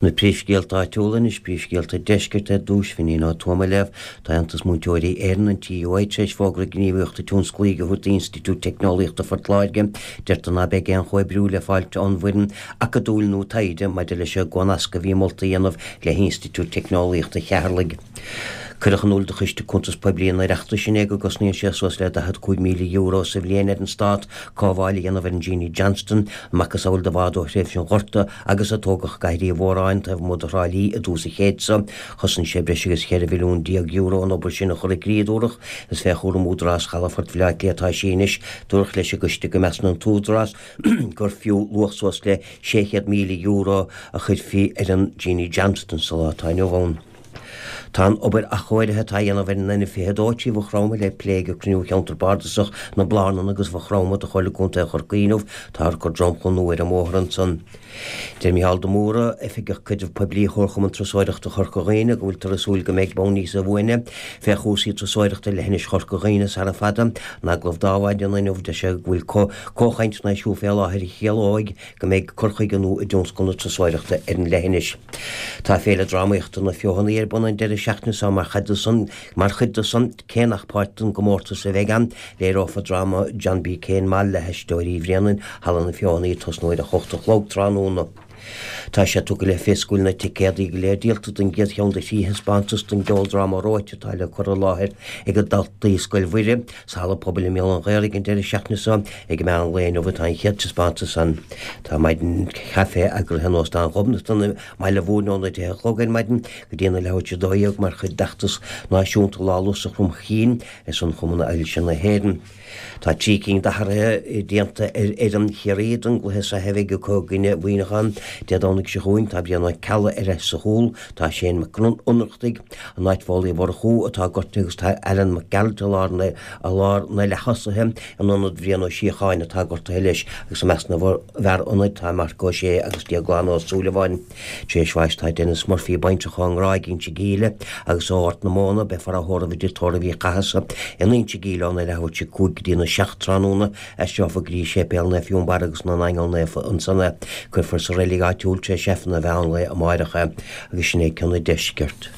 Na príomhscéalta áitiúla anois, príomhscéalta deiscirt ar dtús, Finín Ó Tuama á léamh. Tá Aontas Múinteoirí Éireann, an TUI, tar éis fógra gníomhaíochta tionsclaíche a thabhairt d'Institiúid Teicneolaíochta Phort Láirge. Deirtear ná beidh aon chomhoibriú le fáilt ón bhfoireann acadúil nó taighde maidir leis an gcomhnascadh a bhí molta a dhéanamh le hInstitiúid Teicneolaíochta Cheatharlaigh. Cuireadh in iúl do Choiste Cuntas Poiblí an Oireachtais inné go gcosnaíonn sé suas le €45,000 sa bhliain ar an Stát cothabháil a dhéanamh ar an Jeanie Johnston, an macasamhail de bhád ó thréimhse an Ghorta agus a tógadh i gCathair Uí Mhóráin taobh amuigh de Thrá Lí i dtús an chéid seo. Chosain sé breis agus €14 mhilliún an obair sin a chur i gcrích, a dúradh. Is fé chúram Údarás Chalafort Bhaile Átha Cliath atá sí anois. Dúradh leis an gcoiste go measann an tÚdarás gur fiú luach suas le €600,000 a chuirfí ar an Jeanie Johnston sa lá atá inniu ann. Tá an obair athchóirithe atá á dhéanamh ar an N22 trí Mhaigh Chromtha le plé ag cruinniú Cheantar Bardasach na Blarnan agus Mhaigh Chromtha de Chomhairle Contae Chorcaí inniu. Táthar ag cur dromchla nua ar an mbóthar ansan. Deir Micheál de Mórdha, Oifigeach Caidrimh Poiblí Chomharchumann Turasóireachta Chorca Dhuibhne, go bhfuiltear ag súil go mbeidh bonn níosa bhuaine fé chúrsaí turasóireachta ar leithinis Chorca Dhuibhne sara fada. In agallamh dó ar maidin inniu, deir sé go bhfuil comhchainteanna ar siúl fé láthair a chiallóidh go mbeidh cur chuige nua i dtionscal na turasóireachta ar an leithinis. Tá Féile Drámaíochta na Feothanaí ar bun an deireadh seachtaine seo mar chuid de san, mar chuid de san, cé nach páirt den gcomórtas a bheidh ann, léireofar dráma John B. Keane Mall le hAisteoirí Bhréanainn, Halla na Feothanaí ag tosnú ar a hocht a chlog tráthnóna. Tá sé tugtha le fios go bhfuil na ticéadaí go léir díolta don gcéad cheann de thrí thaispeántas den gceoldráma Reoite atá le cur i láthair ag daltaí Scoil Mhuire sa Halla Pobail i mBéal an Ghaorthaidh an deireadh seachtaine seo. Ag meán lae inniu atá an chéad taispeántas ann. Tá maidin chaife eagraithe in Óstán Ghobnatan i mBaile Mhúirne óna 10 a chlog ar maidin go dtí na leathuair tar éis 12 mar chuid d'fheachtas náisiúnta Lá Lus Chrom Chinn ar son Chumann Ailse na hÉireann. Tá 3 cinn d'athruithe déanta ar fhoireann Chiarraí don gcluiche sraithe a bheidh acu i gcoinne Mhuineacháin Dé Domhnaigh seo chugainn. Tá Brian Ó Ceallaigh ar ais sa chúl, tá Shane Mac Ionnrachtaigh in áit Phóil Uí Mhurchú atá gortaithe agus tá Alan Mac Gearailt i lár na i lár na leath-thosaithe in ionad Bhrian Ó Síocháin atá gortaithe leis agus i measc na bhfear ionaid tá Marc Ó Sé agus Déaglán Ó Súilleabháin. Tar éis bháis tá Denis Murphy baintreach ón nGráig, Inse Gíle, agus ó Ghort na Móna, beifear á thórramh i dtigh tórraimh Uí Chathasaigh in Inse Gíle óna leathuair tar éis 5 go dtína 7 tráthnóna, aistreofar go dtí Séipéal Naomh Fionnbarra agus na nAingeal Naofa ansan é. Cuirfear sa reilig áitiúil tar éis Aifreann an mheán lae amáireach é. Agus sin é ceann an deiscirt.